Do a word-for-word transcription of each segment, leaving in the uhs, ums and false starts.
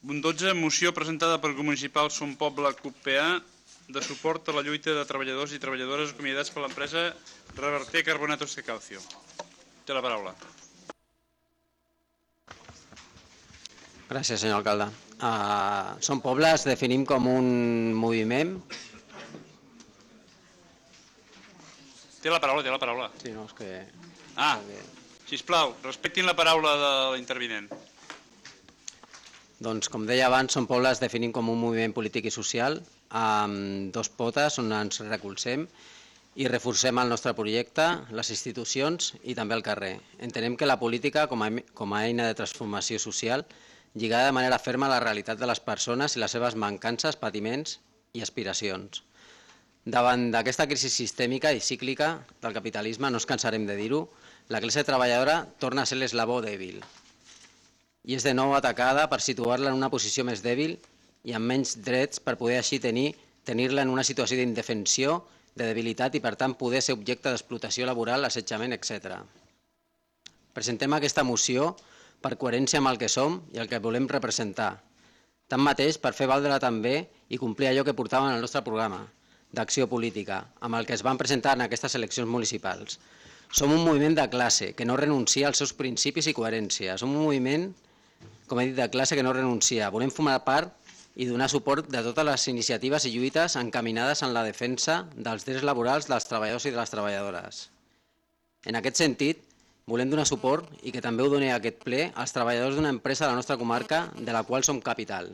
Punt dotze, moció presentada pel Grup Municipal Son Poble C U P A de suport a la lluita de treballadors i treballadores acomiadats per l'empresa Reverter Carbonatos de Calcio. Té la paraula. Gràcies, senyor alcalde. Uh, Som Poble es definim com un moviment... Té la paraula, té la paraula. Sí, no, és que... Ah, sisplau, respectin la paraula de l'intervinent. Doncs, com deia abans, Som Poble es definim com un moviment polític i social amb dos potes on ens recolzem i reforcem el nostre projecte, les institucions i també el carrer. Entenem que la política, com a, com a eina de transformació social, lligada de manera ferma a la realitat de les persones i les seves mancances, patiments i aspiracions. Davant d'aquesta crisi sistèmica i cíclica del capitalisme, no ens cansarem de dir-ho, la classe treballadora torna a ser l'eslabó dèbil i és de nou atacada per situar-la en una posició més dèbil i amb menys drets per poder així tenir tenir-la en una situació d'indefensió, de debilitat i per tant poder ser objecte d'explotació laboral, assetjament, etcètera. Presentem aquesta moció per coherència amb el que som i el que volem representar. Tanmateix, per fer valdre també i complir allò que portàvem al nostre programa d'acció política, amb el que es van presentar en aquestes eleccions municipals. Som un moviment de classe que no renuncia als seus principis i coherència. Som un moviment, com he dit, de classe que no renuncia. Volem formar part i donar suport de totes les iniciatives i lluites encaminades en la defensa dels drets laborals dels treballadors i de les treballadores. En aquest sentit, volem donar suport i que també ho doni a aquest ple als treballadors d'una empresa de la nostra comarca de la qual som capital,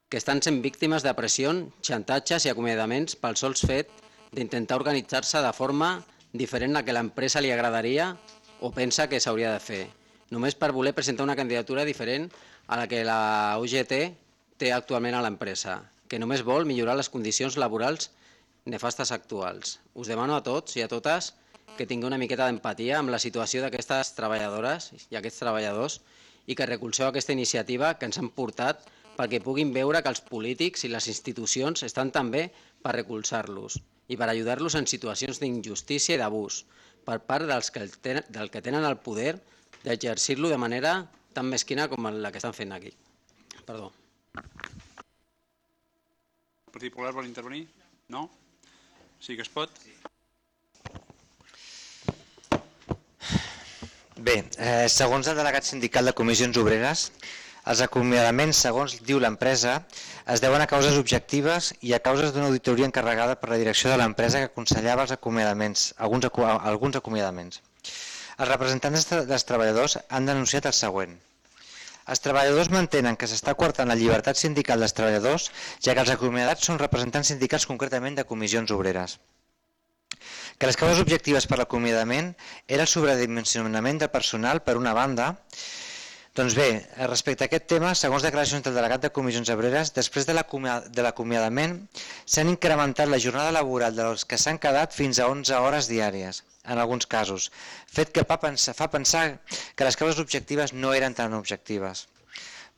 que estan sent víctimes de pressions, xantatges i acomiadaments pel sols fet d'intentar organitzar-se de forma diferent a que l'empresa li agradaria o pensa que s'hauria de fer, només per voler presentar una candidatura diferent a la que la U G T té actualment a l'empresa, que només vol millorar les condicions laborals nefastes actuals. Us demano a tots i a totes que tingueu una miqueta d'empatia amb la situació d'aquestes treballadores i aquests treballadors i que recolzeu aquesta iniciativa que ens han portat perquè puguin veure que els polítics i les institucions estan també per recolzar-los i per ajudar-los en situacions d'injustícia i d'abús per part dels que tenen, del que tenen el poder d'exercir-lo de manera tan mesquina com la que estan fent aquí. Perdó. El Partit Popular vol intervenir? No? Sí que es pot? Bé, eh, segons el delegat sindical de Comissions Obreres, els acomiadaments, segons diu l'empresa, es deuen a causes objectives i a causes d'una auditoria encarregada per la direcció de l'empresa que aconsellava els acomiadaments, alguns, alguns acomiadaments. Els representants dels treballadors han denunciat el següent. Els treballadors mantenen que s'està coartant la llibertat sindical dels treballadors, ja que els acomiadats són representants sindicals concretament de Comissions Obreres. Que les causes objectives per l'acomiadament era el sobredimensionament del personal per una banda. Doncs bé, respecte a aquest tema, segons declaracions del delegat de Comissions Obreres, després de l'acomiadament s'han incrementat la jornada laboral dels que s'han quedat fins a onze hores diàries, en alguns casos, fet que fa pensar, fa pensar que les causes objectives no eren tan objectives.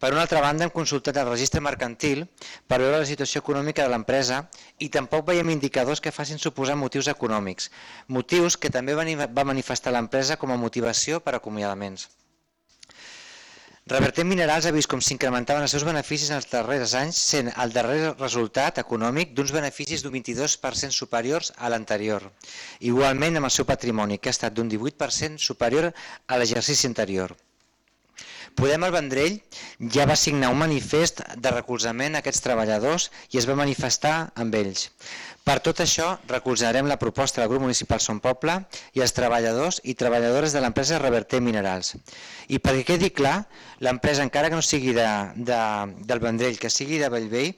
Per una altra banda, hem consultat el registre mercantil per veure la situació econòmica de l'empresa i tampoc veiem indicadors que facin suposar motius econòmics, motius que també va manifestar l'empresa com a motivació per acomiadaments. Reverter Minerals ha vist com s'incrementaven els seus beneficis en els darrers anys, sent el darrer resultat econòmic d'uns beneficis d'un vint-i-dos per cent superiors a l'anterior. Igualment amb el seu patrimoni, que ha estat d'un divuit per cent superior a l'exercici anterior. Podem el Vendrell ja va signar un manifest de recolzament a aquests treballadors i es va manifestar amb ells. Per tot això, recolzarem la proposta del grup municipal Son Poble i els treballadors i treballadores de l'empresa Reverter Minerals. I perquè quedi clar, l'empresa, encara que no sigui de, de, del Vendrell, que sigui de Bellvei,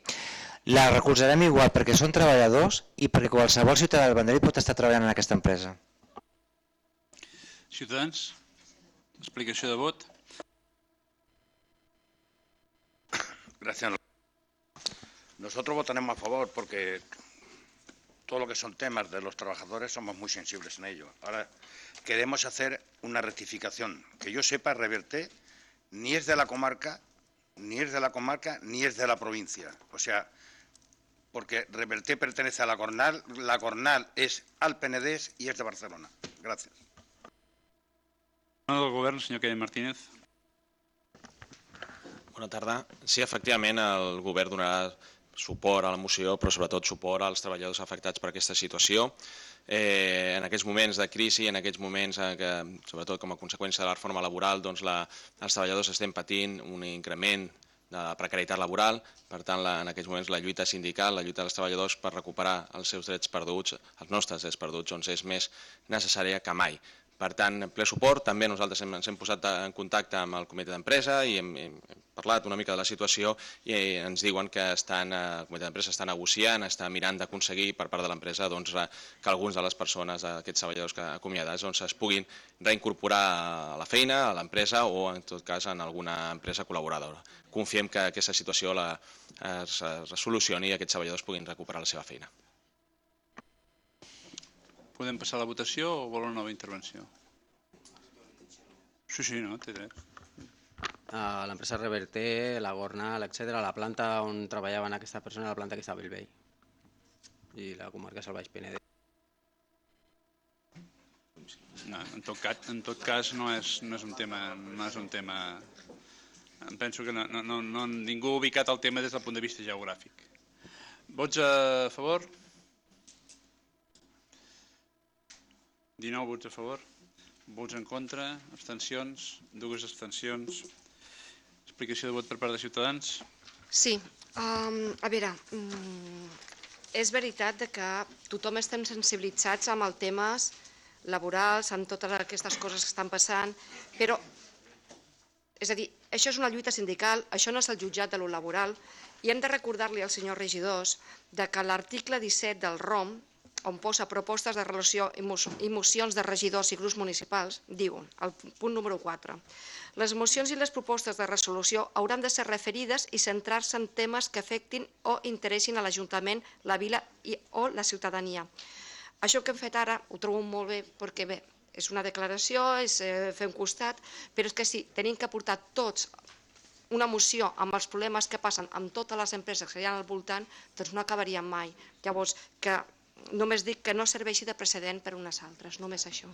la recolzarem igual perquè són treballadors i perquè qualsevol ciutadà del Vendrell pot estar treballant en aquesta empresa. Ciutadans, explicació de vot. Gracias. Nosotros votaremos a favor porque todo lo que son temas de los trabajadores somos muy sensibles en ello. Ahora queremos hacer una rectificación. Que yo sepa, Reverter ni es de la comarca, ni es de la comarca, ni es de la provincia. O sea, porque Reverter pertenece a la Cornal, la Cornal es al Penedès y es de Barcelona. Gracias. Del Govern, senyor Kevin Martínez. Bona tarda. Sí, efectivament, el govern donarà suport a la moció, però sobretot suport als treballadors afectats per aquesta situació. Eh, en aquests moments de crisi, en aquests moments en què, sobretot com a conseqüència de la reforma laboral, doncs la, els treballadors estem patint un increment de precarietat laboral. Per tant, la, en aquests moments la lluita sindical, la lluita dels treballadors per recuperar els seus drets perduts, els nostres drets perduts, doncs és més necessària que mai. Per tant, ple suport. També nosaltres hem, ens hem posat en contacte amb el comitè d'empresa i hem, hem parlat una mica de la situació i ens diuen que estan, el comitè d'empresa està negociant, està mirant d'aconseguir per part de l'empresa doncs, que alguns de les persones, aquests treballadors que acomiadats, doncs, es puguin reincorporar a la feina, a l'empresa o en tot cas en alguna empresa col·laboradora. Confiem que aquesta situació la, es resolucioni i aquests treballadors puguin recuperar la seva feina. Podem passar a la votació o vol una nova intervenció? Sí, sí, no, té dret. L'empresa Reverter, la Gornal, etcètera, la planta on treballaven aquesta persona, la planta que està a Bellvei i la comarca del Baix Penedès. No, en tot cas, en tot cas no, és, no és un tema, no és un tema... Em penso que no, no, no, ningú ha ubicat el tema des del punt de vista geogràfic. Vots a favor? dinou vots a favor, vots en contra, abstencions, dues abstencions. Explicació de vot per part de Ciutadans. Sí, um, a veure, um, és veritat que tothom estem sensibilitzats amb els temes laborals, amb totes aquestes coses que estan passant, però, és a dir, això és una lluita sindical, això no és el jutjat de lo laboral, i hem de recordar-li als senyors regidors que l'article disset del R O M, on posa propostes de relació i mocions de regidors i grups municipals, diuen, al punt número quatre, les mocions i les propostes de resolució hauran de ser referides i centrar-se en temes que afectin o interessin a l'Ajuntament, la vila o la ciutadania. Això que hem fet ara ho trobo molt bé perquè bé, és una declaració, és fer un costat, però és que si tenim que portar tots una moció amb els problemes que passen amb totes les empreses que hi ha al voltant, doncs no acabaríem mai. Llavors, que només dic que no serveixi de precedent per unes altres, només això.